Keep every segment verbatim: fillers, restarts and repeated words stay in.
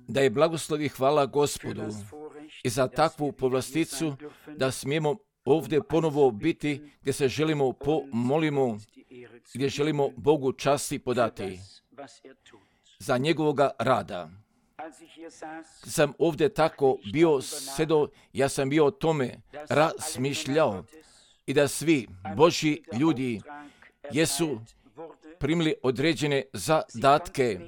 Da je blagoslov i hvala Gospodu i za takvu povlasticu da smijemo ovdje ponovo biti gdje se želimo pomolimo, gdje želimo Bogu časti podati za njegovoga rada. Sam ovdje tako bio sedo, ja sam bio o tome razmišljao i da svi Božji ljudi jesu primili određene zadatke,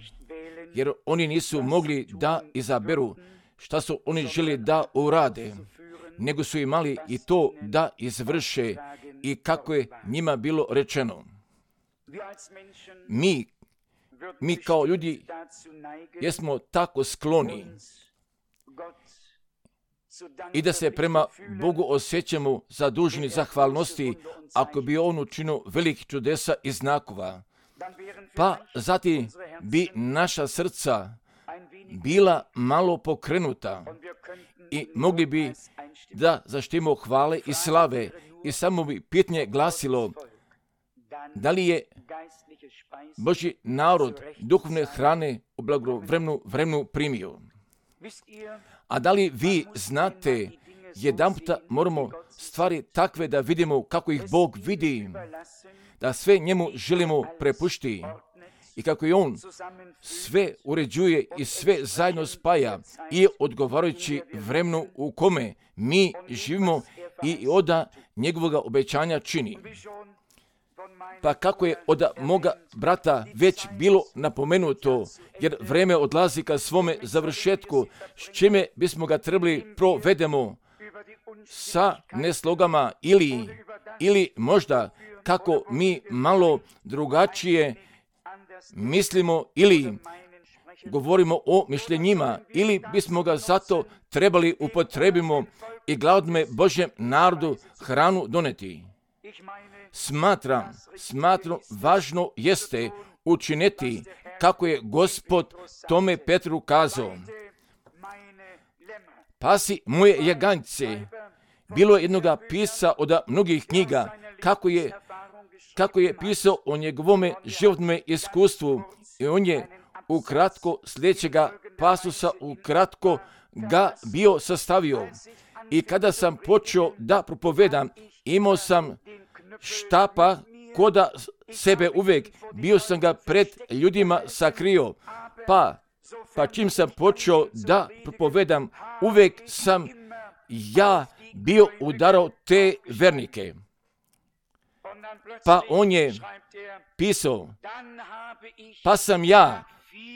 jer oni nisu mogli da izaberu šta su oni želi da urade, nego su imali i to da izvrše i kako je njima bilo rečeno. Mi, mi kao ljudi jesmo tako skloni i da se prema Bogu osjećamo zaduženi zahvalnosti ako bi On učinio velikih čudesa i znakova. Pa zatim bi naša srca bila malo pokrenuta i mogli bi da zaštimo hvale i slave i samo bi pitanje glasilo da li je Božji narod duhovne hrane u blagovremenu vremenu primio. A da li vi znate, jedanputa moramo stvari takve da vidimo kako ih Bog vidi, da sve njemu želimo prepušti i kako je On sve uređuje i sve zajedno spaja i odgovarajući vremenu u kome mi živimo i oda njegovoga obećanja čini. Pa kako je od moga brata već bilo napomenuto, jer vreme odlazi ka svome završetku, s čime bismo ga trebali provedemo sa neslogama ili, ili možda kako mi malo drugačije mislimo ili govorimo o mišljenjima ili bismo ga zato trebali upotrebimo i gladnome Božjem narodu hranu doneti. Smatram, smatram važno jeste učiniti kako je Gospod tome Petru kazao. Pasi moje jaganjce. Bilo je jednoga pisa od mnogih knjiga kako je, kako je pisao o njegovome životnome iskustvu i on je ukratko sljedećega pasusa ukratko ga bio sastavio. I kada sam počeo da propovedam, imao sam štapa koda sebe uvijek, bio sam ga pred ljudima sakrio, pa, pa čim sam počeo da propovedam, uvijek sam ja bio udarao te vernike. Pa on je pisao, pa sam ja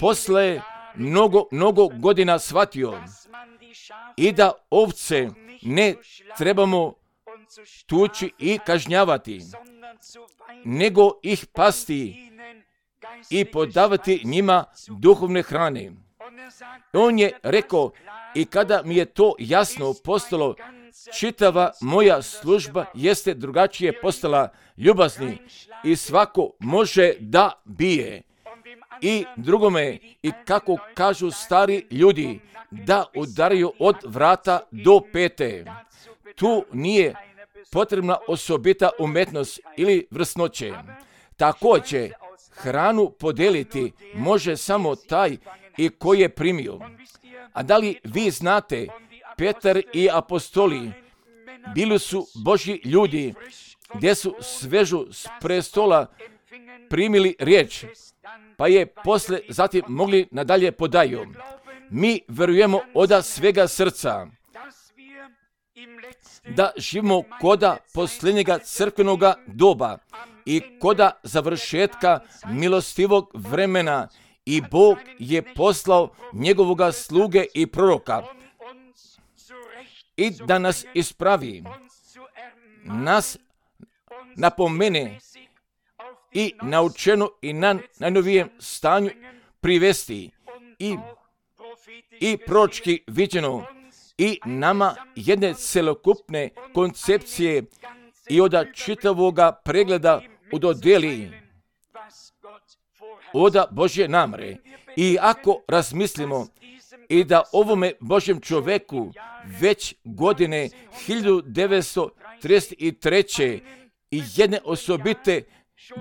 posle mnogo, mnogo godina shvatio i da ovce ne trebamo tući i kažnjavati, nego ih pasti i podavati njima duhovne hrane. On je rekao, i kada mi je to jasno postalo, čitava moja služba jeste drugačije postala ljubazni i svako može da bije. I drugome, i kako kažu stari ljudi, da udaraju od vrata do pete. Tu nije potrebna osobita umetnost ili vrsnoće. Također, hranu podeliti može samo taj i koji je primio. A da li vi znate, Petar i apostoli bili su Božji ljudi, gdje su svežu s prestola primili riječ, pa je posle zatim mogli nadalje podaju. Mi verujemo od svega srca da živimo koda posljednjega crkvenoga doba i koda završetka milostivog vremena i Bog je poslao njegovoga sluge i proroka i da nas ispravi, nas napomene i naučeno i na najnovijem stanju privesti i, i proročki viđeno i nama jedne celokupne koncepcije i od čitavoga pregleda udodeli od Božje namre. I ako razmislimo i da ovome Božjem čoveku već godine hiljadu devetsto trideset treće i jedne osobite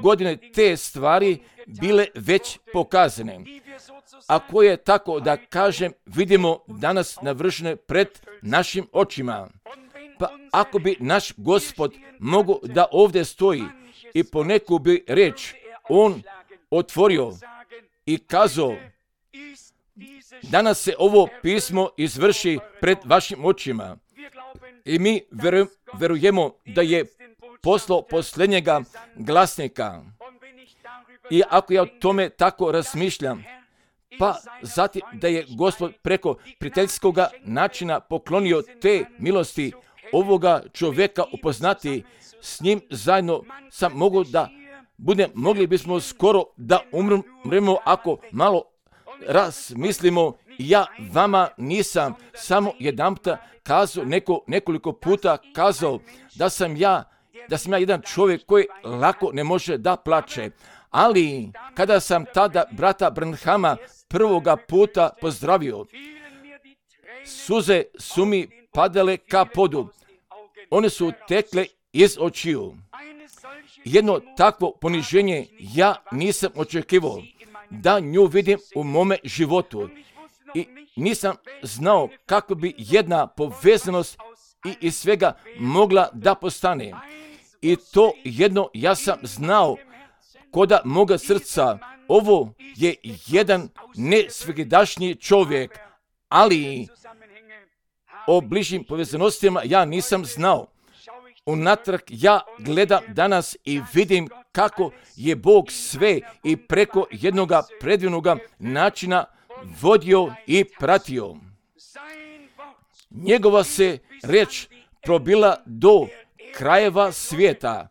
godine te stvari bile već pokazane. Ako je tako da kažem, vidimo danas navršene pred našim očima. Pa ako bi naš Gospod mogao da ovdje stoji i po neku bi reč on otvorio i kazao, danas se ovo pismo izvrši pred vašim očima. I mi verujemo da je poslao posljednjega glasnika. I ako ja o tome tako razmišljam, pa zatim da je Gospod preko prijateljskog načina poklonio te milosti ovoga čovjeka upoznati, s njim zajedno sam mogu da budem, mogli bismo skoro da umremo ako malo razmislimo. Ja vama nisam samo jedanputa kazao, neko, nekoliko puta kazao da sam ja, da sam ja jedan čovjek koji lako ne može da plače. Ali kada sam tada brata Branhama prvoga puta pozdravio, suze su mi padale ka podu. One su tekle iz očiju. Jedno takvo poniženje ja nisam očekivao da nju vidim u mome životu. I nisam znao kako bi jedna povezanost i iz svega mogla da postane. I to jedno ja sam znao koda moga srca. Ovo je jedan nesvegdašnji čovjek, ali o bližim povezanostima ja nisam znao. Unatrag ja gledam danas i vidim kako je Bog sve i preko jednoga predivnoga načina vodio i pratio. Njegova se reč probila do krajeva svijeta.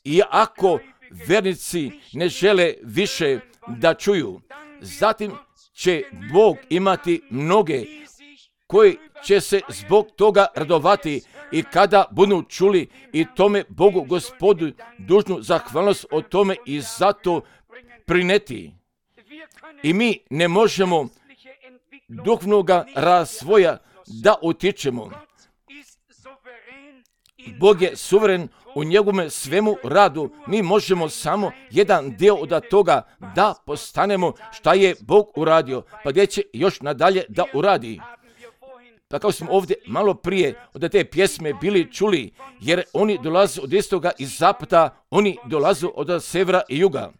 I ako vernici ne žele više da čuju, zatim će Bog imati mnoge koji će se zbog toga radovati i kada budu čuli i tome Bogu Gospodu dužnu zahvalnost o tome i zato prineti. I mi ne možemo duhovnoga razvoja da utičemo. Bog je suveren u njegovom svemu radu. Mi možemo samo jedan dio od toga da postanemo šta je Bog uradio, pa gdje će još nadalje da uradi. Pa kao smo ovdje malo prije od te pjesme bili čuli, jer oni dolaze od istoga i zapada, oni dolaze od severa i juga.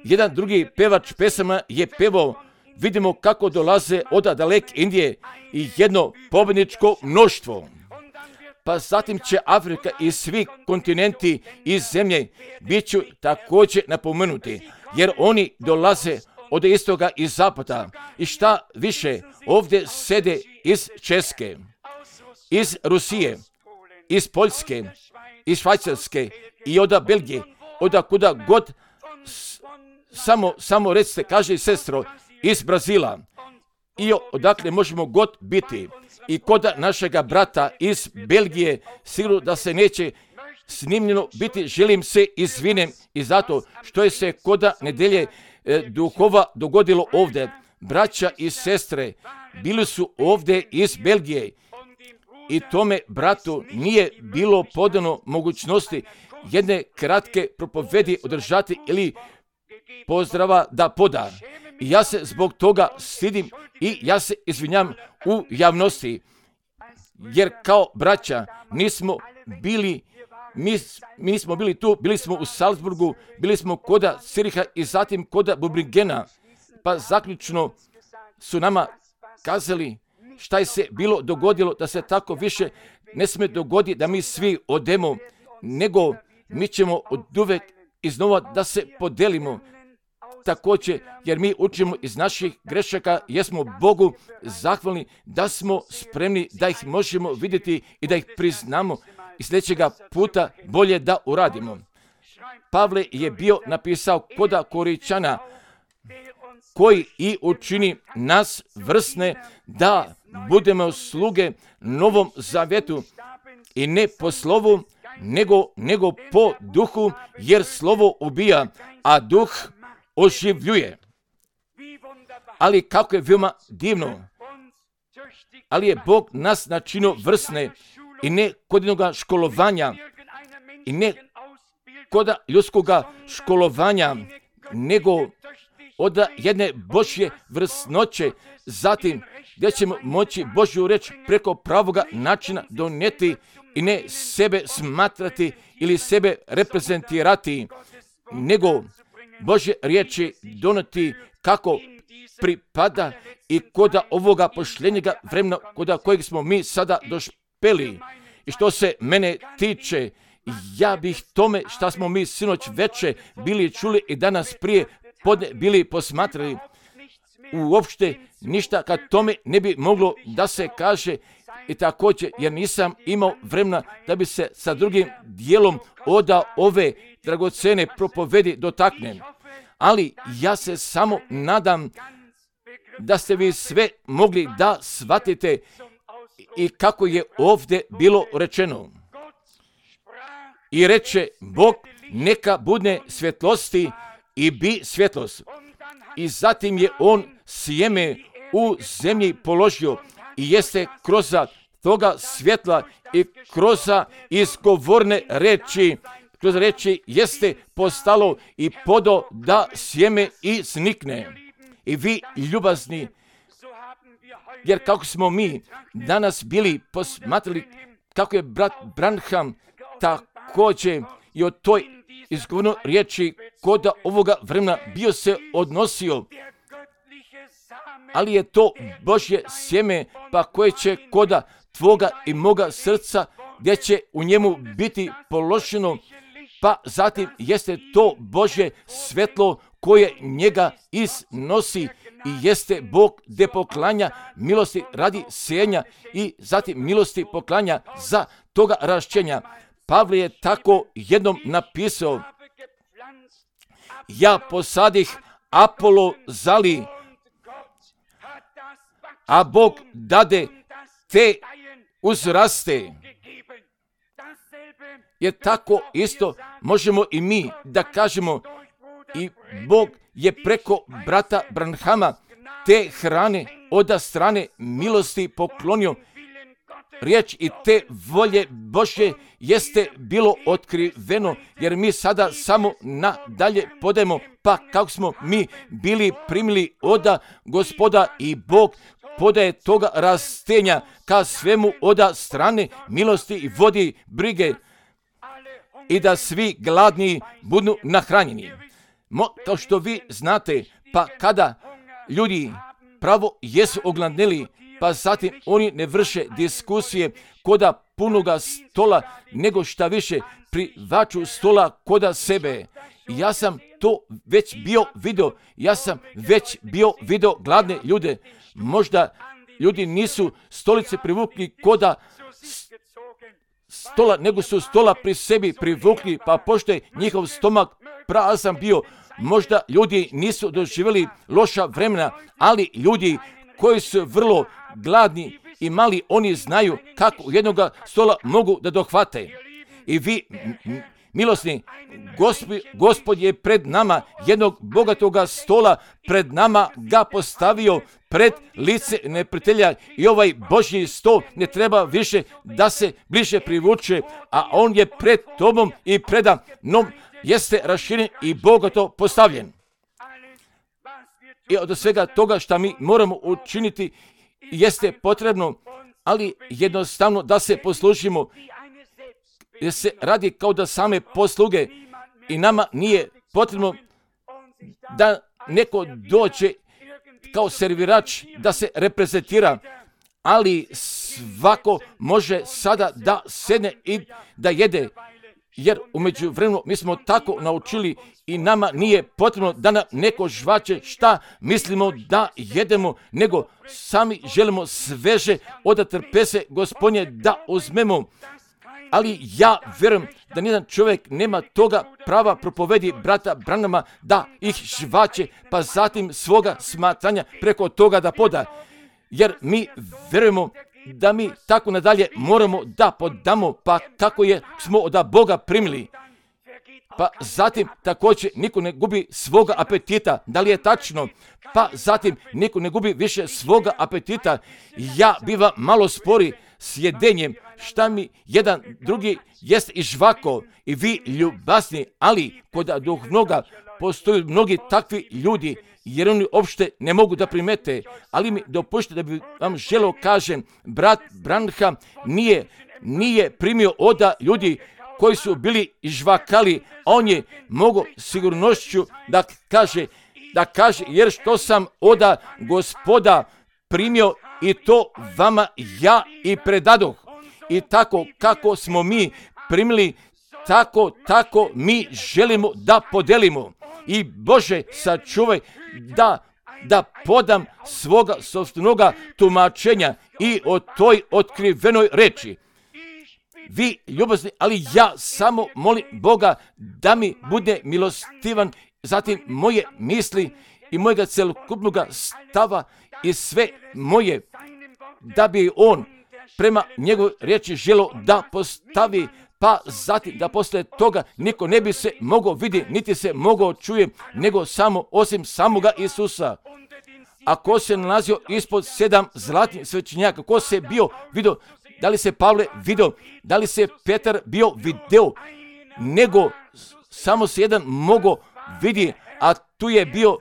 Jedan drugi pevač pesama je pevao, vidimo kako dolaze od daleke Indije i jedno pobjedničko mnoštvo. Pa zatim će Afrika i svi kontinenti i zemlje bit ću također napomenuti, jer oni dolaze od istoga i zapada. I šta više, ovdje sede iz Česke, iz Rusije, iz Poljske, iz Švajcarske i od Belgije, od kuda god, samo, samo recite, kaže i sestro, iz Brazila. I odakle možemo god biti. I kod našega brata iz Belgije, sigurno da se neće snimljeno biti, želim se izvinem i zato što je se kod nedelje e, duhova dogodilo ovdje. Braća i sestre bili su ovdje iz Belgije i tome bratu nije bilo podano mogućnosti jedne kratke propovedi održati ili pozdrava da poda. I ja se zbog toga stidim i ja se izvinjam u javnosti, jer kao braća nismo bili, mi, mi nismo bili tu, bili smo u Salzburgu, bili smo koda Ciriha i zatim koda Bubrigena, pa zaključno su nama kazali šta je se bilo dogodilo, da se tako više ne smije dogoditi da mi svi odemo, nego mi ćemo od uvek iznova da se podelimo. Također, jer mi učimo iz naših grešaka, jer smo Bogu zahvalni da smo spremni da ih možemo vidjeti i da ih priznamo i sljedećega puta bolje da uradimo. Pavle je bio napisao koda Koričana, koji i učini nas vrsne da budemo sluge Novom Zavjetu i ne po slovu, nego, nego po duhu, jer slovo ubija, a duh oživljuje. Ali kako je veoma divno, ali je Bog nas načinio vrsne i ne kod jednoga školovanja i ne kod ljudskoga školovanja, nego od jedne Božje vrsnoće, zatim gdje ćemo moći Božju reč preko pravoga načina donijeti i ne sebe smatrati ili sebe reprezentirati, nego Božje riječi donijeti kako pripada i kod ovoga pošljenjega vremena kod kojeg smo mi sada došpeli. I što se mene tiče, ja bih tome šta smo mi sinoć veče bili čuli i danas prije podne bili posmatrali, uopšte ništa kad tome ne bi moglo da se kaže i također jer nisam imao vremena da bi se sa drugim dijelom oda ove dragocene propovedi dotaknem. Ali ja se samo nadam da ste vi sve mogli da shvatite i kako je ovdje bilo rečeno. I reče Bog, neka bude svjetlosti i bi svjetlost. I zatim je on sjeme u zemlji položio i jeste kroz toga svjetla i kroz izgovorne reči, kroz reči jeste postalo i podo da sjeme i snikne. I vi ljubazni, jer kako smo mi danas bili posmatrali kako je brat Branham također i o toj izgovornoj riječi kod ovoga vremena bio se odnosio, ali je to Božje sjeme pa koje će koda tvoga i moga srca gdje će u njemu biti položeno, pa zatim jeste to Božje svetlo koje njega iznosi i jeste Bog gdje poklanja milosti radi sjenja i zatim milosti poklanja za toga rašćenja. Pavle je tako jednom napisao, ja posadih, Apolo zali, a Bog dade te uzraste. Jer tako isto možemo i mi da kažemo i Bog je preko brata Branhama te hrane od strane milosti poklonio. Riječ i te volje Božje jeste bilo otkriveno, jer mi sada samo nadalje podemo, pa kako smo mi bili primili od Gospoda i Bog podaje toga rastenja ka svemu od strane milosti i vodi brige i da svi gladni budu nahranjeni. Mo, kao što vi znate, pa kada ljudi pravo jesu ogladneli, pa zatim oni ne vrše diskusije koda punoga stola, nego šta više privaču stola koda sebe. Ja sam to već bio vidio, ja sam već bio vidio gladne ljude. Možda ljudi nisu stolice privukli koda stola, nego su stola pri sebi privukli, pa pošto je njihov stomak prazan bio, možda ljudi nisu doživjeli loša vremena, ali ljudi koji su vrlo gladni i mali, oni znaju kako jednoga stola mogu da dohvate. I vi, milosni, Gospod, Gospod je pred nama jednog bogatoga stola, pred nama ga postavio pred lice neprijatelja i ovaj Božji sto ne treba više da se bliže privuče, a on je pred tobom i preda nom jeste raširen i bogato postavljen. I od svega toga što mi moramo učiniti jeste potrebno, ali jednostavno da se poslužimo, jer se radi kao da same posluge i nama nije potrebno da neko dođe kao servirač da se reprezentira, ali svako može sada da sedne i da jede, jer umeđu vremenu mi smo tako naučili i nama nije potrebno da nam neko žvače šta mislimo da jedemo, nego sami želimo sveže od trpeze Gospodnje da uzmemo. Ali ja vjerujem da nijedan čovjek nema toga prava propovedi brata Branhama da ih žvače, pa zatim svoga smatranja preko toga da poda. Jer mi vjerujemo da mi tako nadalje moramo da podamo, pa kako je smo od Boga primili. Pa zatim također niko ne gubi svoga apetita. Da li je tačno? Pa zatim niko ne gubi više svoga apetita. Ja bivam malo spori s jedenjem, šta mi jedan drugi jest i žvako i vi ljubazni, ali kod duhovnoga postoje mnogi takvi ljudi, jer oni uopšte ne mogu da primete, ali mi dopušte da bi vam želeo kažem, brat Branham nije, nije primio oda ljudi koji su bili žvakali, a on je mogo sigurnošću da kaže, da kaže, jer što sam oda Gospoda primio i to vama ja i predadoh. I tako kako smo mi primili, tako, tako mi želimo da podelimo. I Bože, sačuvaj da, da podam svoga sopstvenoga tumačenja i o toj otkrivenoj reči. Vi ljubazni, ali ja samo molim Boga da mi bude milostivan, zatim moje misli i mojega celokupnog stava i sve moje, da bi on prema njegovoj riječi želio da postavi, pa zatim da posle toga niko ne bi se mogao vidjeti, niti se mogao čuje, nego samo osim samoga Isusa. A ko se nalazio ispod sedam zlatnih svećenjaka, ko se bio vidio, da li se Pavle vidio, da li se Petar bio video, nego samo se jedan mogao vidjeti, a tu je bio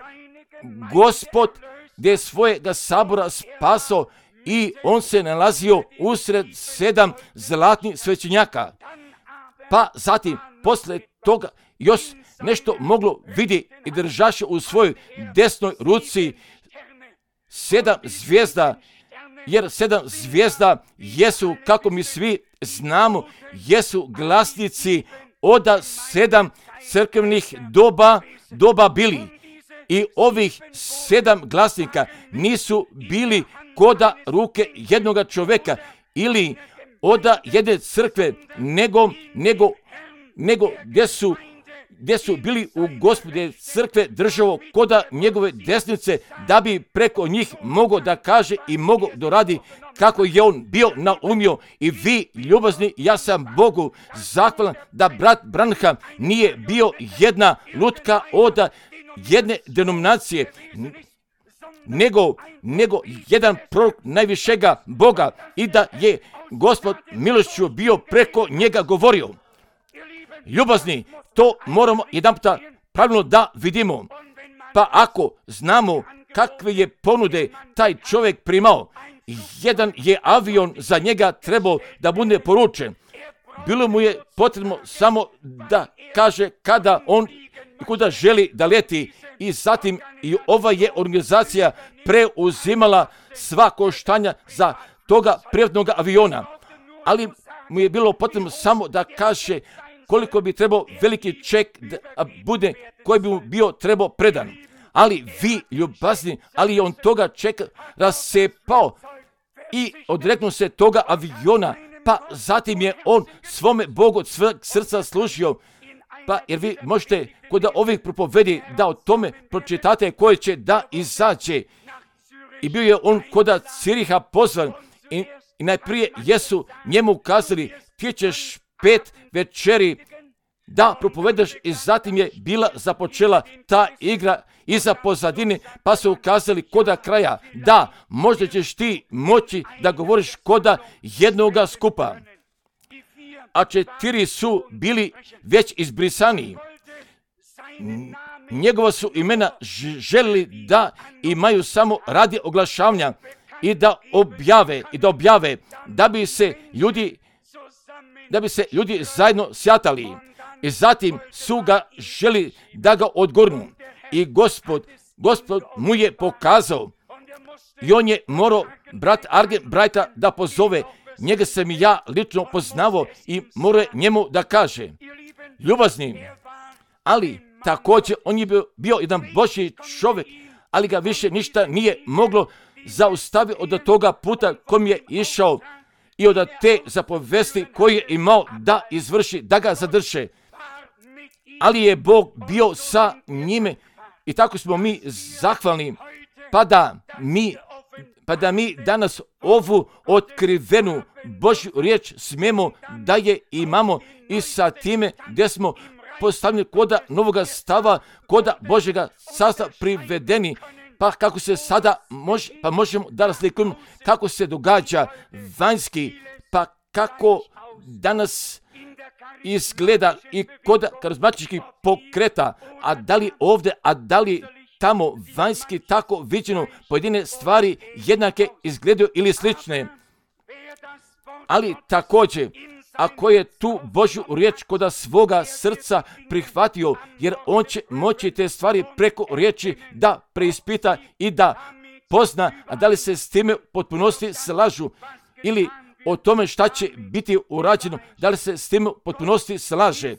Gospod gdje je svojega sabora spasao i on se nalazio usred sedam zlatnih svećenjaka. Pa zatim, posle toga, još nešto moglo vidjeti i držaše u svojoj desnoj ruci sedam zvijezda, jer sedam zvijezda jesu, kako mi svi znamo, jesu glasnici od sedam crkvenih doba, doba bili. I ovih sedam glasnika nisu bili koda ruke jednoga čovjeka ili oda jedne crkve, nego, nego, nego gdje su, gdje su bili u Gospode crkve državo koda njegove desnice, da bi preko njih mogao da kaže i mogao doradi kako je on bio naumio. I vi ljubazni, ja sam Bogu zahvalan da brat Branham nije bio jedna lutka oda jedne denominacije, nego, nego jedan prorok najvišega Boga i da je Gospod milošću bio preko njega govorio. Ljubazni, to moramo jedan puta pravilno da vidimo. Pa ako znamo kakve je ponude taj čovjek primao, jedan je avion za njega trebao da bude poručen. Bilo mu je potrebno samo da kaže kada on i kuda želi da leti, i zatim i ova je organizacija preuzimala sva koštanja za toga privatnog aviona. Ali mu je bilo potrebno samo da kaže koliko bi trebao veliki ček da bude, koji bi mu bio trebao predan. Ali vi ljubazni, ali je on toga čeka rasepao i odreknuo se toga aviona, pa zatim je on svome Bogu od sveg srca služio. Pa jer vi možete kod ovih propovedi da o tome pročitate koje će da izađe. I bio je on kod Ciriha pozvan i, i najprije jesu njemu ukazali ti ćeš pet večeri da propovedaš i zatim je bila započela ta igra iza pozadine, pa su ukazali koda kraja da možda ćeš ti moći da govoriš koda jednoga skupa. A četiri su bili već izbrisani. Njegova su imena želili da imaju samo radi oglašavanja i da objave i da objave da bi se ljudi da bi se ljudi zajedno sjatali. I zatim su ga želi da ga odgurnu. I Gospod, Gospod mu je pokazao i on je morao brat Argen Brighta da pozove. Njega sam i ja lično poznavao i morao njemu da kaže, ljubazni, ali također on je bio, bio jedan Božji čovjek, ali ga više ništa nije moglo zaustaviti od toga puta kojim je išao i od te zapovesti koje je imao da izvrši, da ga zadrže. Ali je Bog bio sa njime i tako smo mi zahvalni, pa da mi pa da mi danas ovu otkrivenu Božju riječ smijemo da je imamo i sa time gdje smo postavljeni koda novoga stava, koda Božjega sastava privedeni, pa kako se sada može, pa možemo da razlikujemo kako se događa vanjski, pa kako danas izgleda i kod karizmatičkih pokreta, a da li ovdje, a da li tamo vanjski tako viđeno pojedine stvari jednake izgledaju ili slične. Ali također, ako je tu Božju riječ kod svoga srca prihvatio, jer on će moći te stvari preko riječi da preispita i da pozna, a da li se s time potpunosti slažu ili o tome šta će biti urađeno, da li se s tim potpunosti slaže.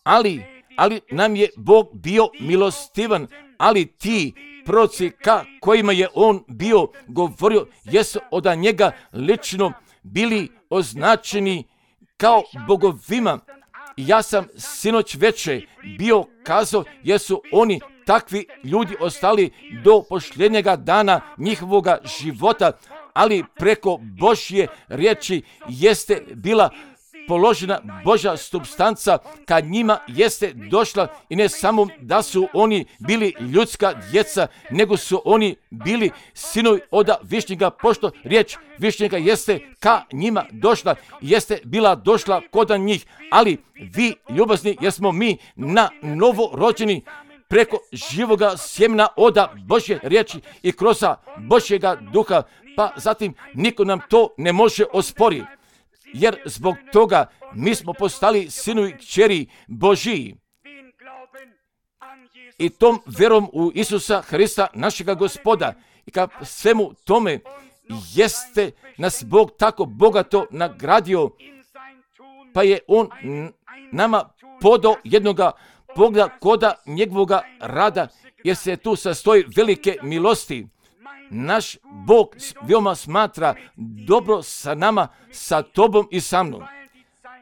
Ali, ali nam je Bog bio milostivan, ali ti proroci ka kojima je on bio govorio, jesu od njega lično bili označeni kao bogovima. Ja sam sinoć veče bio kazao, jesu oni takvi ljudi ostali do posljednjega dana njihovoga života, ali preko Božje riječi jeste bila položena Božja supstanca, kad njima jeste došla i ne samo da su oni bili ljudska djeca, nego su oni bili sinovi od Višnjega, pošto riječ Višnjega jeste ka njima došla, jeste bila došla kod njih, ali vi ljubazni jesmo mi na novo rođeni preko živoga sjemena od Božje riječi i kroz Božjega duha, pa zatim niko nam to ne može osporiti. Jer zbog toga mi smo postali sinovi kćeri Božiji. I tom vjerom u Isusa Hrista, našega Gospoda, i ka svemu tome jeste nas Bog tako bogato nagradio, pa je on nama podao jednoga pogleda koda njegovoga rada, jer se tu sastoji velike milosti. Naš Bog veoma smatra dobro sa nama, sa tobom i sa mnom.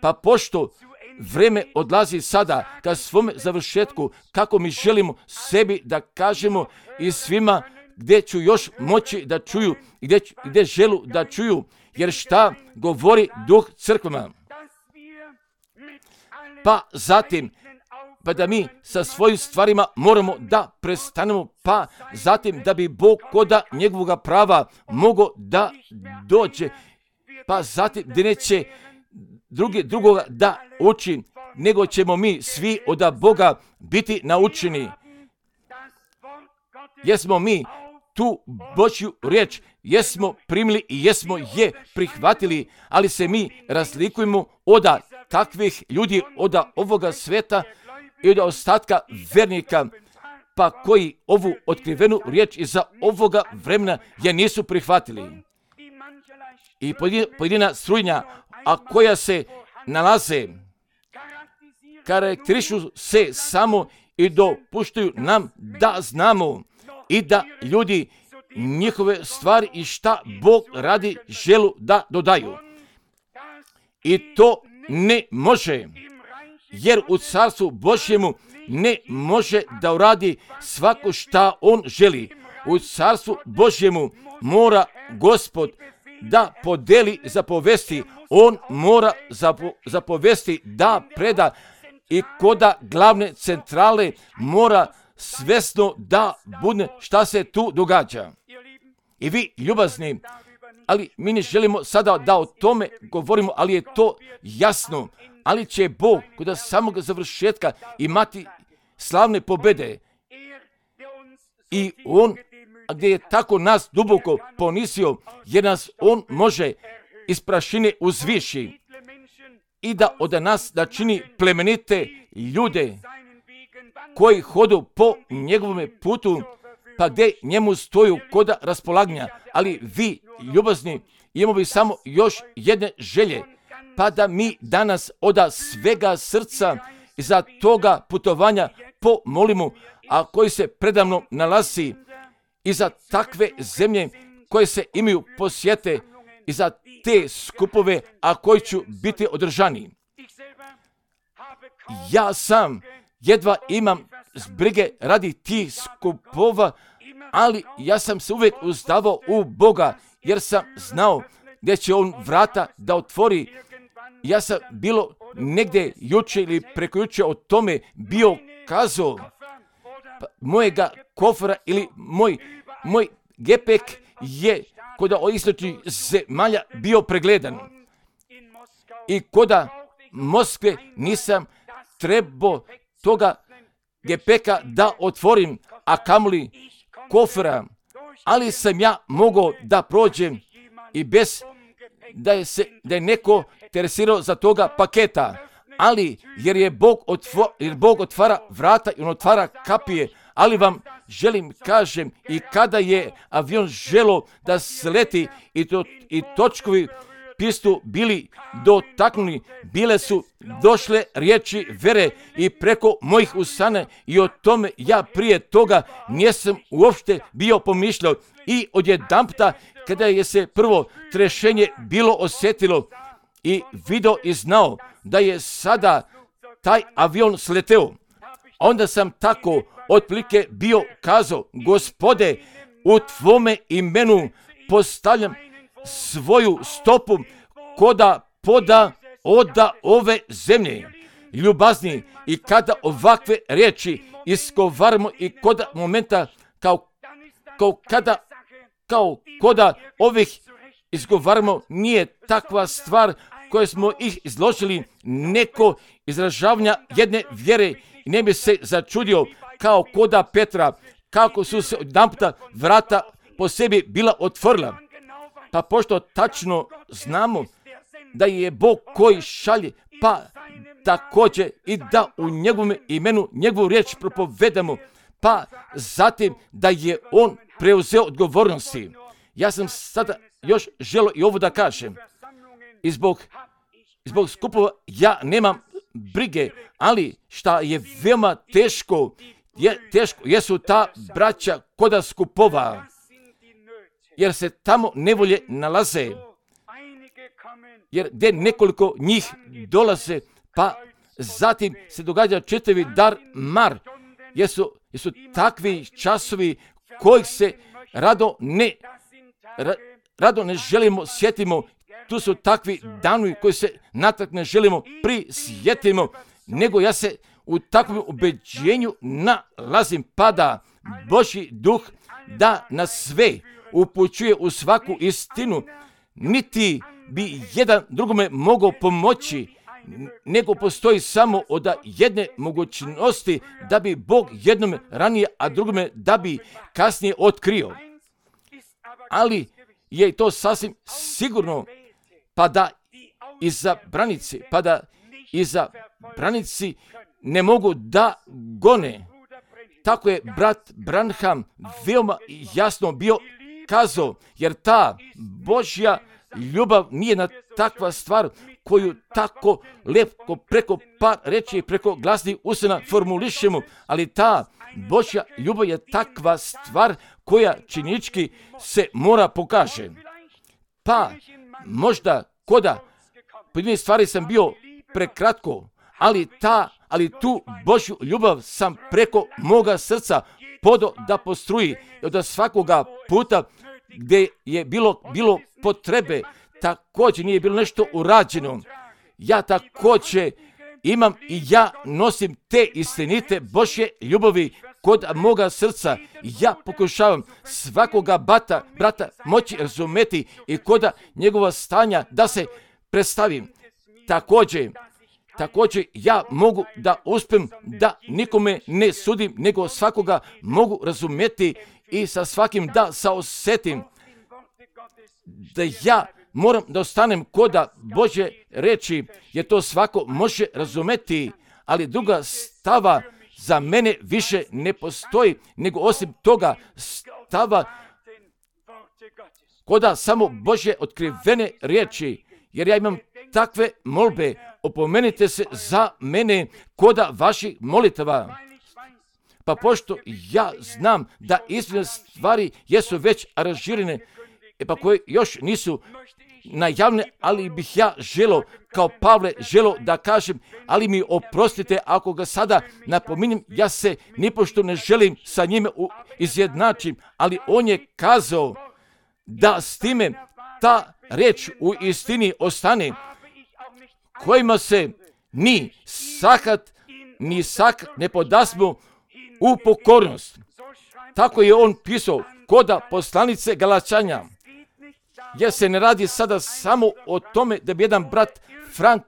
Pa pošto vreme odlazi sada ka svome završetku, kako mi želimo sebi da kažemo i svima gdje ću još moći da čuju, gdje, gdje želu da čuju, jer šta govori duh crkvama. Pa zatim, pa da mi sa svojim stvarima moramo da prestanemo, pa zatim da bi Bog koda njegovoga prava mogao da dođe, pa zatim da neće drugi, drugoga da uči, nego ćemo mi svi od Boga biti naučeni. Jesmo mi tu Božju riječ, jesmo primili i jesmo je prihvatili, ali se mi razlikujemo od takvih ljudi, od ovoga sveta i od ostatka vernika, pa koji ovu otkrivenu riječ iza ovoga vremena je nisu prihvatili. I pojedina strujnja, a koja se nalaze, karakterišu se samo i dopuštaju nam da znamo i da ljudi njihove stvari i šta Bog radi želu da dodaju. I to ne može, jer u carstvu Božjemu ne može da uradi svako šta on želi. U carstvu Božjemu mora Gospod da podeli zapovesti, on mora zapo, zapovesti da preda i koda glavne centrale mora svesno da bude šta se tu događa. I vi ljubazni, ali mi ne želimo sada da o tome govorimo, ali je to jasno. Ali će Bog kod samog završetka imati slavne pobjede. I on, gdje je tako nas duboko ponisio, jer nas on može iz prašine uzviši i da od nas da čini plemenite ljude koji hodu po njegovome putu, pa gdje njemu stoju koda raspolaganja. Ali vi, ljubazni, imamo bi samo još jedne želje, pa da mi danas od svega srca za toga putovanja pomolimo, a koji se predavno nalazi i za takve zemlje koje se imaju posjete i za te skupove, a koji će biti održani. Ja sam jedva imam zbrige radi tih skupova, ali ja sam se uvijek uzdavao u Boga, jer sam znao gdje će on vrata da otvori. Ja sam bilo negdje juče ili preko juče o tome bio kazao, pa, mojega kofera ili moj, moj gepek je kod istočnih zemalja bio pregledan. i koda Moskve nisam trebao toga gepeka da otvorim, a kamoli kofera, ali sam ja mogao da prođem i bez da je, se, da je neko interesirao za toga paketa, ali jer je Bog, otvo, jer Bog otvara vrata i on otvara kapije, ali vam želim kažem i kada je avion želo da sleti i, to, i točkovi pistu bili dotaknuli, bile su došle riječi vere i preko mojih usana i o tome ja prije toga nisam uopšte bio pomišljao i odjedanputa kada je se prvo trešenje bilo osjetilo i video i znao da je sada taj avion sleteo, onda sam tako otprilike bio kazao, Gospode, u tvome imenu postavljam svoju stopu koda poda oda ove zemlje. Ljubazni, i kada ovakve riječi iskovaramo i koda momenta kao, kao kada kao koda ovih izgovaramo, nije takva stvar koje smo ih izložili neko izražavanja jedne vjere i ne bi se začudio kao koda Petra, kako su se odjedanputa vrata po sebi bila otvorila. Pa pošto tačno znamo da je Bog koji šalje, pa također i da u njegovom imenu njegovu riječ propovedamo, pa zatim da je on preuzeo odgovornosti. Ja sam sada još želio i ovo da kažem. I zbog, zbog skupova ja nemam brige, ali šta je veoma teško, je, teško jesu ta braća koda skupova, jer se tamo nevolje nalaze, jer gdje nekoliko njih dolaze, pa zatim se događa čitavi dar mar, jesu, jesu takvi časovi kojih se rado ne, ra, rado ne želimo sjetimo. Tu su takvi danovi koji se natrag ne želimo prisjetimo, nego ja se u takvom ubeđenju nalazim, pa da Božji duh da nas sve upućuje u svaku istinu, niti bi jedan drugome mogao pomoći, nego postoji samo od jedne mogućnosti da bi Bog jednome ranije, a drugome da bi kasnije otkrio. Ali je to sasvim sigurno, pa da iza branici, pa da iza branici ne mogu da gone. Tako je brat Branham veoma jasno bio kazao, jer ta Božja ljubav nije na takva stvar koju tako lepko preko par reći, preko glasnih usana formulišemo, ali ta Božja ljubav je takva stvar koja činički se mora pokaže. Pa možda koda po stvari sam bio prekratko, ali ta, ali tu Božju ljubav sam preko moga srca podo da postruji, da svakoga puta gdje je bilo, bilo potrebe, također nije bilo nešto urađeno. Ja također imam i ja nosim te istinite Božje ljubavi kod moga srca. Ja pokušavam svakoga bata, brata moći razumeti i koda njegova stanja da se predstavim. Također, također ja mogu da uspijem da nikome ne sudim, nego svakoga mogu razumjeti i sa svakim da saosetim. Da ja moram da ostanem koda Božje reči, jer to svako može razumjeti, ali druga stava za mene više ne postoji, nego osim toga stava koda samo Božje otkrivene riječi, jer ja imam takve molbe, opomenite se za mene koda vaših molitava. Pa pošto ja znam da istinite stvari jesu već aranžirane, e pa koje još nisu najavne, ali bih ja želo, kao Pavle želo da kažem, ali mi oprostite ako ga sada napominjem, ja se nipošto ne želim sa njime izjednačim, ali on je kazao da s time ta reč u istini ostane, kojima se ni sahat, ni sakat ne podasmo u pokornost. Tako je on pisao koda poslanice Galačanja. Jer se ne radi sada samo o tome da bi jedan brat Frank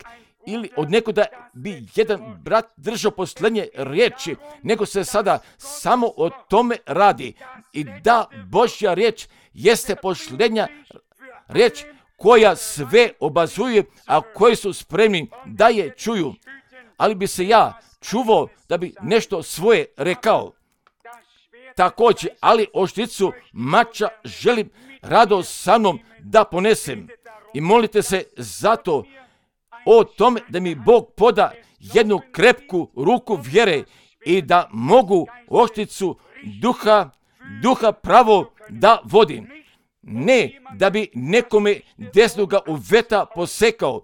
ili od nekuda bi jedan brat držao posljednje riječi, nego se sada samo o tome radi. I da Božja riječ jeste posljednja riječ koja sve obazuje, a koji su spremni da je čuju. Ali bi se ja čuvao da bi nešto svoje rekao. Također, ali ošticu mača želim rado sa mnom da ponesem. I molite se zato o tome da mi Bog poda jednu krepku ruku vjere i da mogu ošticu duha, duha pravo da vodim. Ne da bi nekome desnoga uveta posekao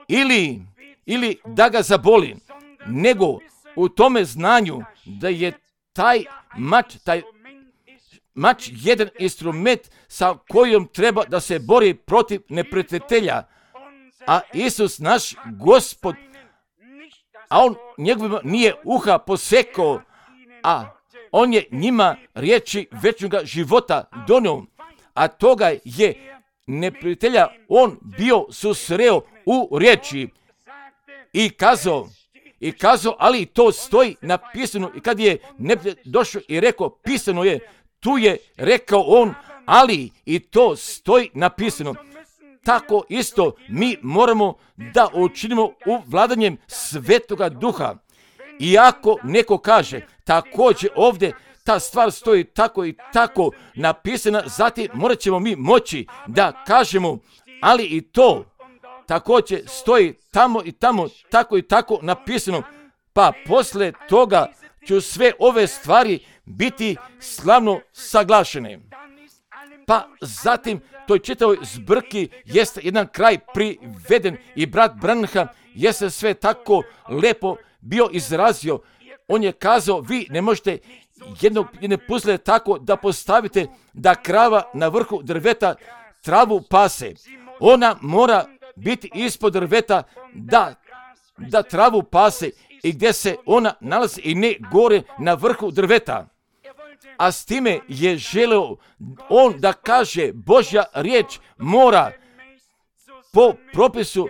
ili, ili da ga zaboli, nego u tome znanju da je taj mač, taj mač jedan instrument sa kojom treba da se bori protiv neprijatelja. A Isus naš Gospod, a on njegovima nije uha posekao, a on je njima riječi večnoga života donio, a toga je neprijatelja on bio susreo u riječi i kazao, i kazao, ali to stoji napisano. I kad je neprijatelj došao i rekao, pisano je, tu je rekao on, ali i to stoji napisano. Tako isto mi moramo da učinimo u vladanjem Svetoga Duha. Iako neko kaže, također ovdje ta stvar stoji tako i tako napisana, zatim morat ćemo mi moći da kažemo, ali i to također stoji tamo i tamo, tako i tako napisano, pa posle toga ću sve ove stvari biti slavno saglašene. Pa zatim toj čitavoj zbrki jeste jedan kraj priveden i brat Branham jeste sve tako lepo bio izrazio. On je kazao, vi ne možete jednog, jedne puzle tako da postavite da krava na vrhu drveta travu pase. Ona mora biti ispod drveta da, da travu pase i gdje se ona nalazi i ne gore na vrhu drveta. A s time je želeo on da kaže, Božja riječ mora po propisu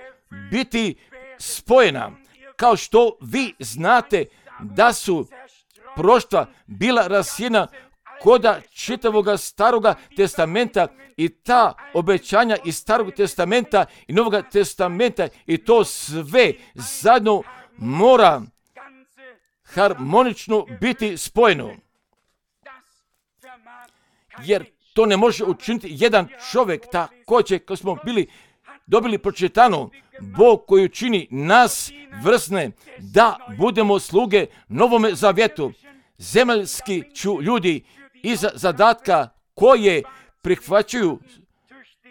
biti spojena. Kao što vi znate da su proštva bila rasijena koda čitavoga staroga testamenta i ta obećanja iz starog testamenta i novoga testamenta i to sve zajedno mora harmonično biti spojeno. Jer to ne može učiniti jedan čovjek, također kao smo bili dobili pročitano, Bog koji učini nas vrsne da budemo sluge novome zavjetu. Zemaljski ću ljudi iza zadatka koje prihvaćaju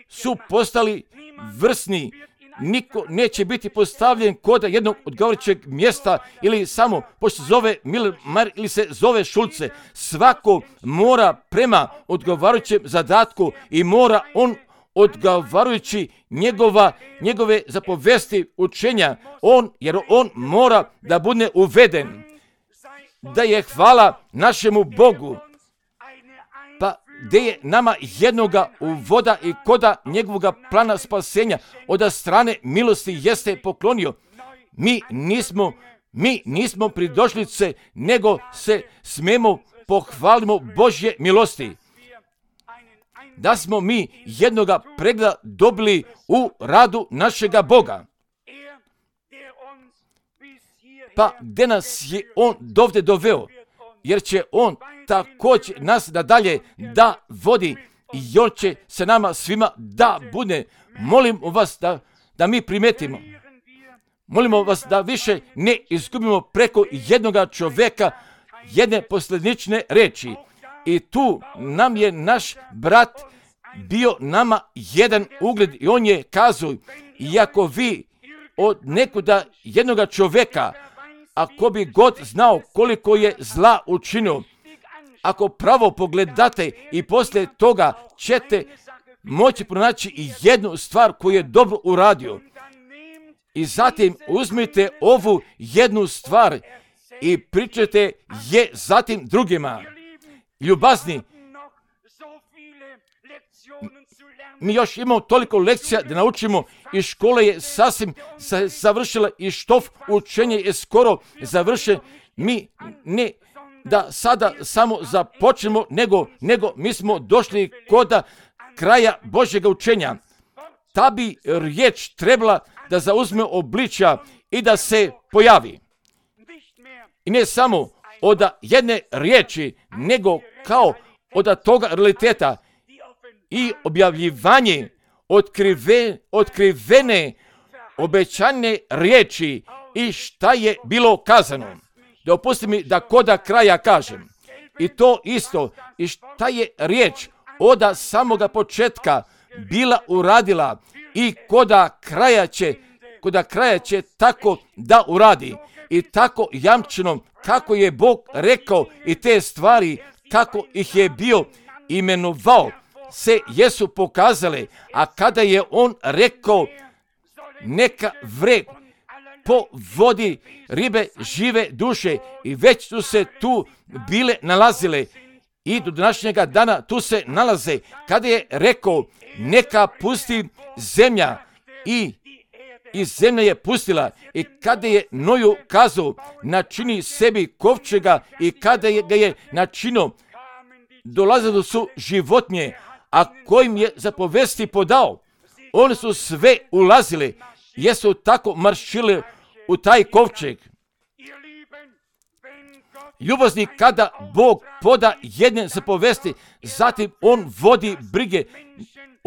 su postali vrsni. Niko neće biti postavljen kod jednog odgovarajućeg mjesta ili samo pošto se zove Milmar ili se zove Šulce. Svako mora prema odgovarajućem zadatku i mora on odgovarajući njegova, njegove zapovesti učenja, on, jer on mora da bude uveden. Da je hvala našemu Bogu, pa gdje je nama jednoga uvoda i koda njegovoga plana spasenja od strane milosti jeste poklonio. Mi nismo, mi nismo pridošlice, nego se smemo pohvalimo Božje milosti. Da smo mi jednoga pregleda dobili u radu našega Boga. Pa gdje nas je on dovde doveo, jer će on također nas nadalje da vodi i on će se nama svima da bude. Molim vas da, da mi primetimo. Molimo vas da više ne izgubimo preko jednoga čovjeka jedne posljednične reči. I tu nam je naš brat bio nama jedan ugled i on je kazao, iako vi od nekuda jednoga čovjeka, ako bi god znao koliko je zla učinio, ako pravo pogledate i poslije toga ćete moći pronaći i jednu stvar koju je dobro uradio. I zatim uzmite ovu jednu stvar i pričajte je zatim drugima. Ljubazni, mi još imamo toliko lekcija da naučimo i škola je sasvim završila i štof učenje je skoro završen. Mi ne da sada samo započnemo, nego, nego mi smo došli kod kraja Božjega učenja. Ta bi riječ trebala da zauzme obličja i da se pojavi. I ne samo od jedne riječi, nego kao od toga realiteta i objavljivanje otkrive, otkrivene obećane riječi i šta je bilo kazano. Dopusti mi da koda kraja kažem. I to isto, i šta je riječ od samoga početka bila uradila i koda kraja će, koda kraja će tako da uradi. I tako jamčeno kako je Bog rekao i te stvari, kako ih je bio imenovao, se jesu pokazale, a kada je on rekao neka vre po vodi ribe žive duše i već su se tu bile nalazile i do današnjega dana tu se nalaze. Kada je rekao neka pusti zemlja i i zemlja je pustila i kada je Noju kazao načini sebi kovčega i kada je ga je načinio, dolazile su životinje, a kojim je zapovesti podao. Oni su sve ulazili, jesu tako maršili u taj kovčeg. Ljubazni, kada Bog poda jedne zapovesti, zatim on vodi brige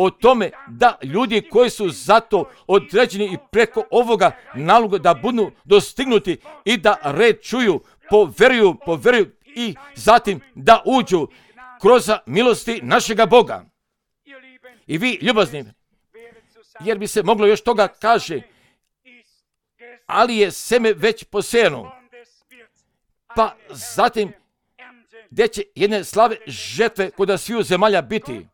o tome da ljudi koji su zato određeni i preko ovoga naloga da budu dostignuti i da red čuju, poveruju, poveruju i zatim da uđu kroz milosti našega Boga. I vi, ljubazni, jer bi se moglo još toga kaže, ali je seme već posejano. Pa zatim, gdje će jedne slave žetve kod sviju zemalja biti.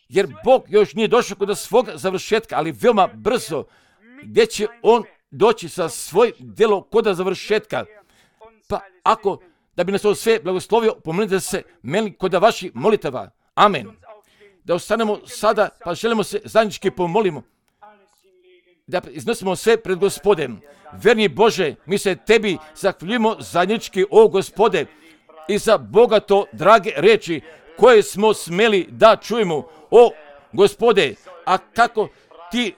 Jer Bog još nije došao kod svog završetka, ali veoma brzo, gdje će on doći sa svoj djelo kod završetka. Pa ako, da bi nas ovo sve blagoslovio, pomenite se meni kod vaših molitava. Amen. Da ostanemo sada, pa želimo se zajednički pomolimo. Da iznosimo sve pred Gospodem. Verni Bože, mi se tebi zahvaljujemo zajednički, o Gospode, i za bogato drage reči koje smo smeli da čujemo, o Gospode, a kako ti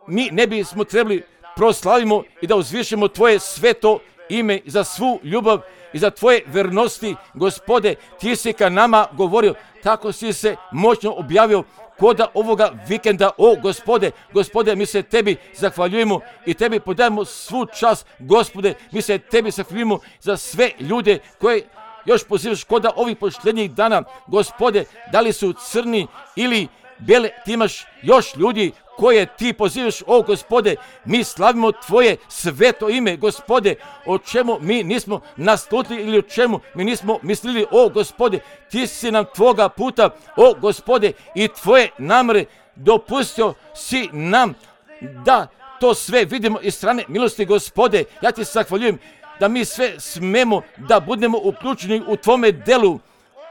mi ne bismo trebali proslavimo i da uzvišemo tvoje sveto ime za svu ljubav i za tvoje vernosti, Gospode, ti si ka nama govorio, tako si se moćno objavio koda ovoga vikenda, o Gospode, Gospode, mi se tebi zahvaljujemo i tebi podajemo svu čast, Gospode, mi se tebi zahvaljujemo za sve ljude koje još pozivaš koda ovih posljednjih dana, Gospode, da li su crni ili bele, ti imaš još ljudi koje ti pozivaš, o Gospode, mi slavimo tvoje sveto ime, Gospode, o čemu mi nismo naslutili ili o čemu mi nismo mislili, o Gospode, ti si nam tvoga puta, o Gospode, i tvoje namere dopustio si nam da to sve vidimo iz strane milosti, Gospode. Ja ti se zahvaljujem da mi sve smemo da budemo uključeni u tvome delu,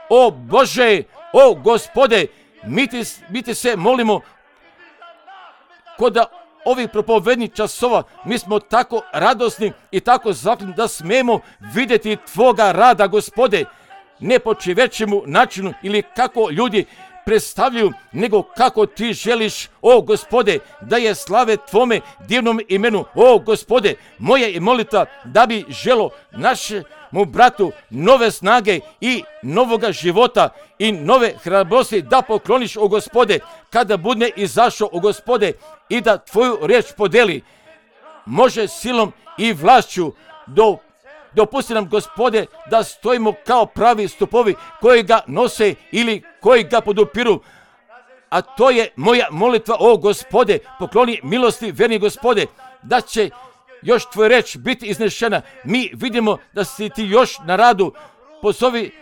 o Bože, o Gospode, mi ti, mi ti se molimo kod ovih propovednih časova, mi smo tako radosni i tako zahvalni da smemo vidjeti tvoga rada, Gospode, ne po čovječemu načinu ili kako ljudi predstavljaju, nego kako ti želiš, o Gospode, da je slave tvome divnom imenu, o Gospode, moja je molitva da bi želo našemu bratu nove snage i novoga života i nove hrabrosti da pokloniš, o Gospode, kada bude izašao, o Gospode, i da tvoju riječ podeli, može silom i vlašću do Dopusti nam, Gospode, da stojimo kao pravi stupovi koji ga nose ili koji ga podupiru. A to je moja molitva, o Gospode, pokloni milosti, verni Gospode, da će još tvoj reč biti iznešena. Mi vidimo da si ti još na radu. Pozovi,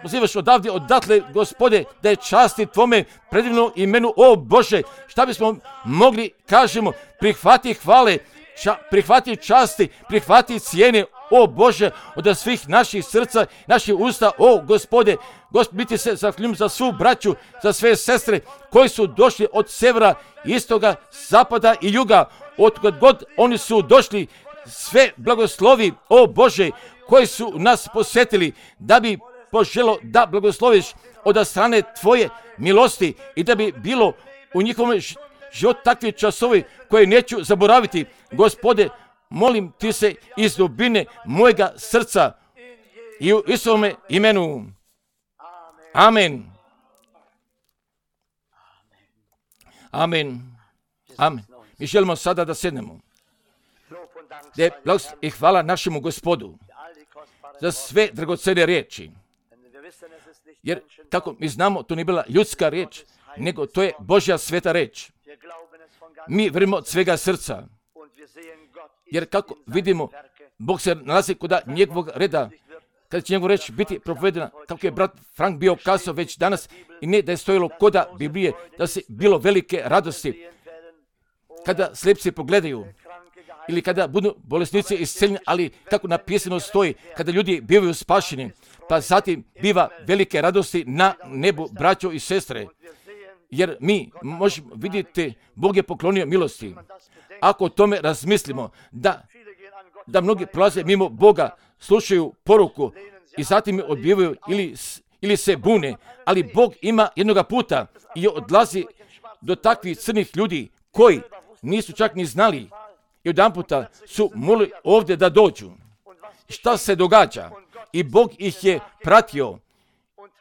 pozivaš odavde, odatle, Gospode, da je časti tvome predivnom imenu, o Bože. Šta bismo mogli, kažemo, prihvati hvale, ča, prihvati časti, prihvati cijene, o Bože, od svih naših srca, naših usta, o Gospode, Gospod, mi ti se zahvaljujem za svu braću, za sve sestre koji su došli od severa, istoga, zapada i juga, od god oni su došli, sve blagoslovi, o Bože, koji su nas posjetili, da bi poželo da blagosloviš od strane Tvoje milosti i da bi bilo u njihovom životu takvi časovi koje neću zaboraviti. Gospode, molim ti se iz dubine mojega srca i u Isovome imenu. Amen. Amen. Amen. Mi želimo sada da sednemo. De blagost i hvala našemu Gospodu za sve dragocene riječi. Jer, kako mi znamo, to nije bila ljudska riječ, nego to je Božja sveta riječ. Mi vjerujemo od svega srca. Jer kako vidimo, Bog se nalazi kod njegovog reda, kada će njegov reč biti propovedena, kako je brat Frank bio kazao već danas, i ne da je stojilo koda Biblije, da se bilo velike radosti, kada slijepci pogledaju, ili kada budu bolesnici isceljeni, ali kako napisano stoji, kada ljudi bivaju spašeni, pa zatim biva velike radosti na nebu, braćo i sestre. Jer mi možemo vidjeti, Bog je poklonio milosti. Ako o tome razmislimo, da, da mnogi prolaze mimo Boga, slušaju poruku i zatim je odbivaju ili, ili se bune, ali Bog ima jednoga puta i odlazi do takvih crnih ljudi koji nisu čak ni znali i jedan puta su molili ovdje da dođu. Šta se događa? I Bog ih je pratio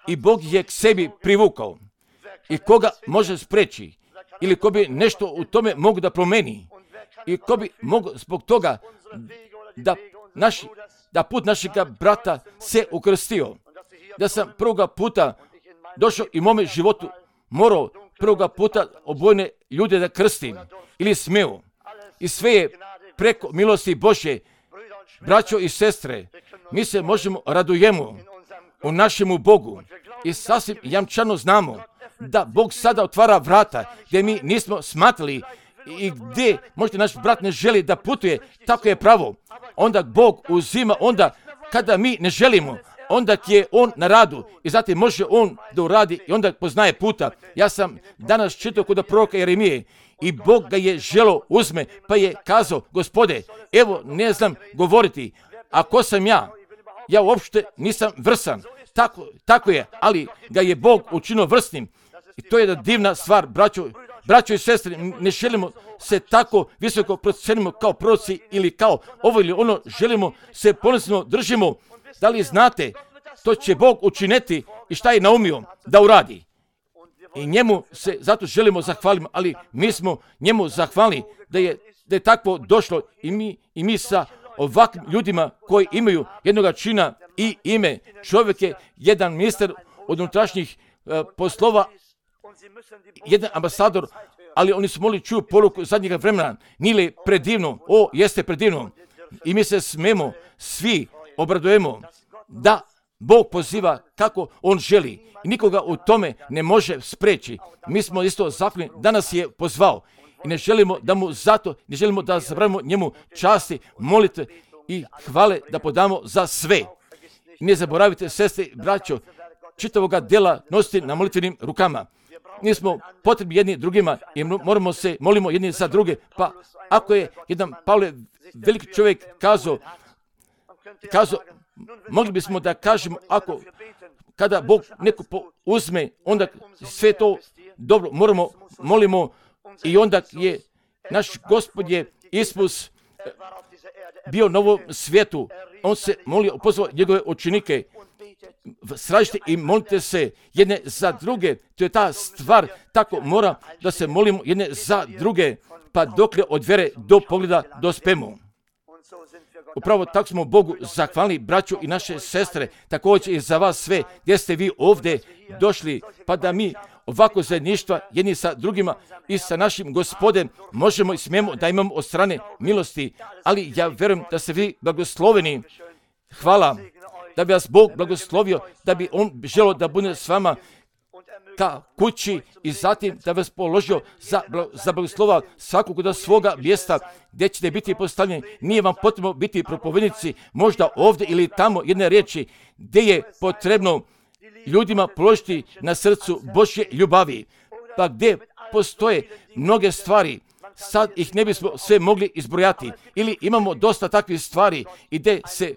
i Bog ih je k sebi privukao. I koga može spreći? Ili ko bi nešto u tome mogu da promeni? I ko bi mogu zbog toga da, naš, da put našega brata se ukrstio? Da sam prvoga puta došao i u mome životu morao prvoga puta obojene ljude da krstim ili smeo. I sve je preko milosti Božje, braćo i sestre, mi se možemo radujemo u našemu Bogu i sasvim jamčano znamo da Bog sada otvara vrata gdje mi nismo smatrali i gdje možda naš brat ne želi da putuje, tako je pravo. Onda Bog uzima, onda kada mi ne želimo, onda je on na radu i zatim može on da uradi i onda poznaje puta. Ja sam danas čitao kod proroka Jeremije i Bog ga je želo uzme, pa je kazao, Gospode, evo ne znam govoriti, a ko sam ja? Ja uopšte nisam vrsan. Tako, tako je, ali ga je Bog učinio vrsnim. I to je jedna divna stvar, braćo, braćo i sestre, ne želimo se tako visoko procenimo kao proroci ili kao ovo ili ono, želimo se ponosno držimo. Da li znate, to će Bog učiniti i šta je naumio da uradi. I njemu se zato želimo zahvaliti, ali mi smo njemu zahvalni da je, da je takvo došlo i mi, i mi sa ovakvim ljudima koji imaju jednoga čina i ime. Čovjek je jedan ministar od unutrašnjih uh, poslova, jedan ambasador, ali oni su mogli čuti poruku zadnjega vremena. Nije li predivno? O, jeste predivno. I mi se smemo, svi obradujemo da Bog poziva kako on želi. I nikoga u tome ne može spreći. Mi smo isto zahvalni da nas je pozvao. I ne želimo da mu zato, ne želimo da zabravimo njemu časti, molitve i hvale da podamo za sve. I ne zaboravite, sestre i braćo, čitavoga dela nositi na molitvenim rukama. Nismo potrebni jedni drugima i moramo se, molimo jedni za druge. Pa ako je jedan Pavle, veliki čovjek, kazao, kazao, mogli bismo da kažemo, ako kada Bog neko uzme, onda sve to dobro, moramo, molimo i onda je naš Gospod je Isus bio na ovom svijetu. On se molio, pozvao njegove učenike, sražite i molite se jedne za druge. To je ta stvar, tako mora da se molimo jedne za druge, pa dokle od vjere do pogleda dospemo. Upravo tako smo Bogu zahvalni, braću i naše sestre, također i za vas sve, gdje ste vi ovdje došli, pa da mi ovako zajedništva jedni sa drugima i sa našim Gospodem možemo i smijemo da imamo od strane milosti, ali ja vjerujem da ste vi blagosloveni. Hvala, da bi vas Bog blagoslovio, da bi on želio da bude s vama ka kući i zatim da vas položio za, za blagoslova svakog do svoga mjesta gdje ćete biti postavljeni. Nije vam potrebno biti propovednici, možda ovdje ili tamo jedne riječi gdje je potrebno ljudima položiti na srcu Božje ljubavi. Pa gdje postoje mnoge stvari, sad ih ne bismo sve mogli izbrojati. Ili imamo dosta takvih stvari i gdje se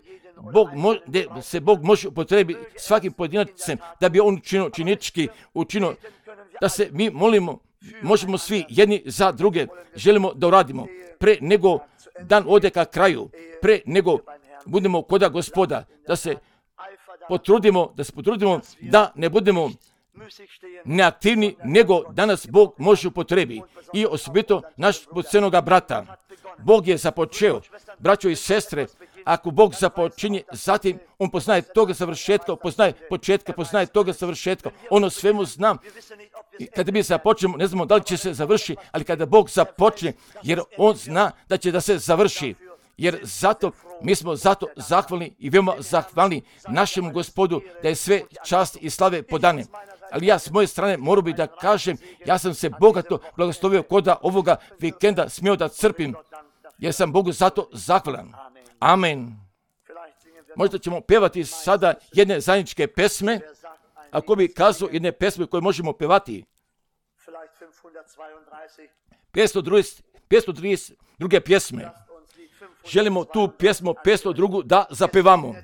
Bog, mo, gdje se Bog može upotrebiti svakim pojedinacem da bi on učinio činički, učinio da se mi molimo, možemo svi jedni za druge, želimo da uradimo. Pre nego dan ode ka kraju, pre nego budemo koda Gospoda, da se potrudimo, da se potrudimo da ne budemo neaktivni, nego danas Bog može upotrebi. I osobito naš podcenoga brata. Bog je započeo, braćo i sestre, ako Bog započinje, zatim on poznaje toga završetka, poznaje početka, poznaje toga završetka, ono svemu znam. I kada mi započnemo, ne znamo da li će se završi, ali kada Bog započne, jer on zna da će da se završi. Jer zato, mi smo zato zahvalni i veoma zahvalni našemu Gospodu da je sve čast i slave podane. Ali ja s moje strane moram bi da kažem, ja sam se bogato blagoslovio koda ovoga vikenda smio da crpim, jer sam Bogu zato zahvalan. Amen. Možda ćemo pevati sada jedne zajedničke pesme, ako bi kazao jedne pesme koje možemo pevati. petsto trideset druge pjesme. Želimo tu pjesmu petsto drugu da zapevamo.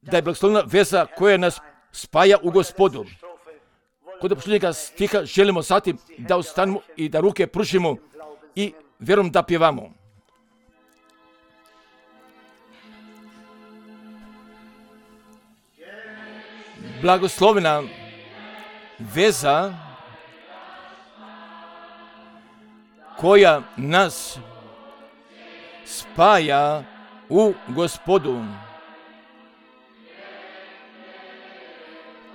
Da je blagoslovna veza koja nas spaja u Gospodu. Kod posljednjega stiha želimo zatim da ostanemo i da ruke pružimo i vjerom da pjevamo. Blagoslovena veza koja nas spaja u Gospodu,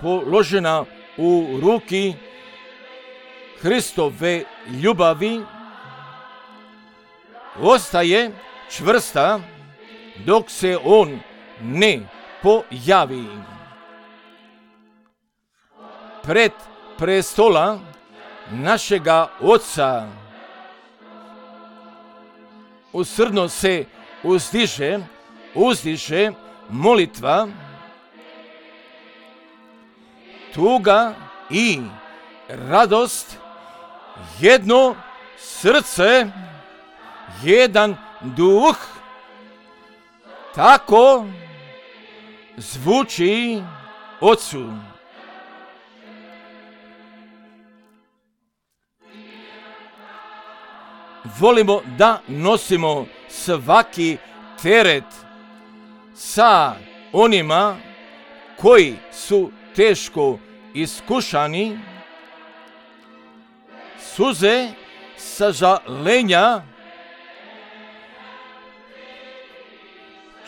položena u ruki Hristove ljubavi, ostaje čvrsta dok se on ne pojavi. Pred prestola našega Oca usrdno se uzdiže, uzdiže molitva, tuga i radost, jedno srce, jedan duh, tako zvuči Ocu. Volimo da nosimo svaki teret sa onima koji su teško iskušani, suze sažalenja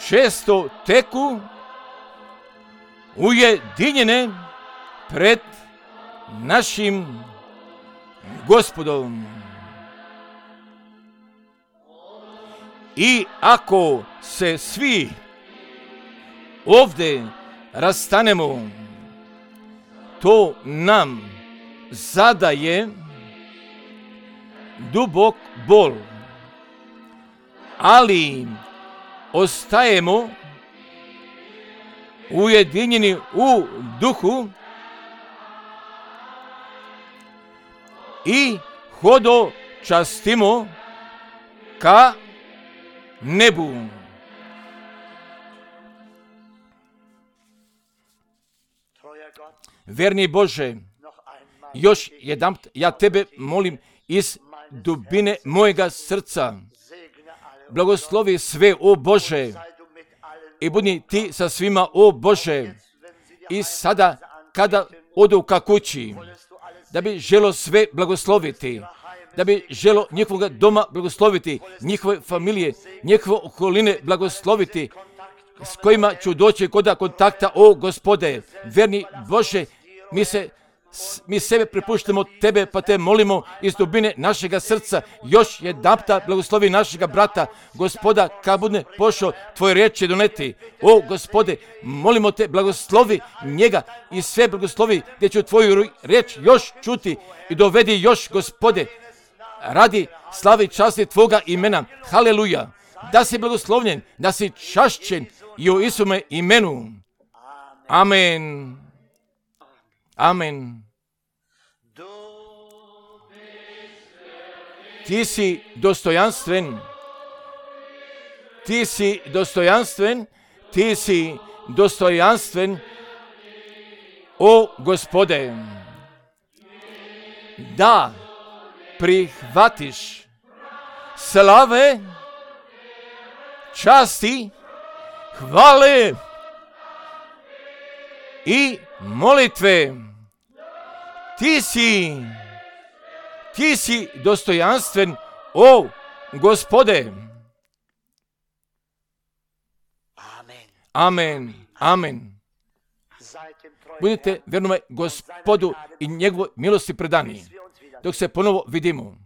često teku ujedinjene pred našim Gospodom. I ako se svi ovdje rastanemo, to nam zadaje dubok bol, ali ostajemo ujedinjeni u duhu i hodočastimo ka nebu. Verni Bože, još jedan ja Tebe molim iz dubine mojega srca. Blagoslovi sve, o Bože, i budi Ti sa svima, o Bože. I sada, kada odu ka kući, da bi želo sve blagosloviti, da bi želo njihovog doma blagosloviti, njihove familije, njihove okoline blagosloviti, s kojima ću doći kod kontakta, o Gospode. Verni Bože, mi se mi sebe prepuštamo tebe, pa te molimo iz dubine našega srca, još jednapta blagoslovi našega brata, Gospoda, kad bude pošao tvoje riječi doneti. O, Gospode, molimo te, blagoslovi njega i sve blagoslovi gdje ću tvoju riječ još čuti i dovedi još, Gospode, radi slavi časti tvoga imena. Haleluja. Da si blagoslovljen, da si čašćen i u Isume imenu. Amen. Amen. Ti si dostojanstven. Ti si dostojanstven. Ti si dostojanstven. O, Gospode, da prihvatiš slave, časti, hvale i molitve. Ti si, ti si dostojanstven, o Gospode. Amen, amen. Budite vjernome Gospodu i njegovoj milosti predani. Dok se ponovo vidimo.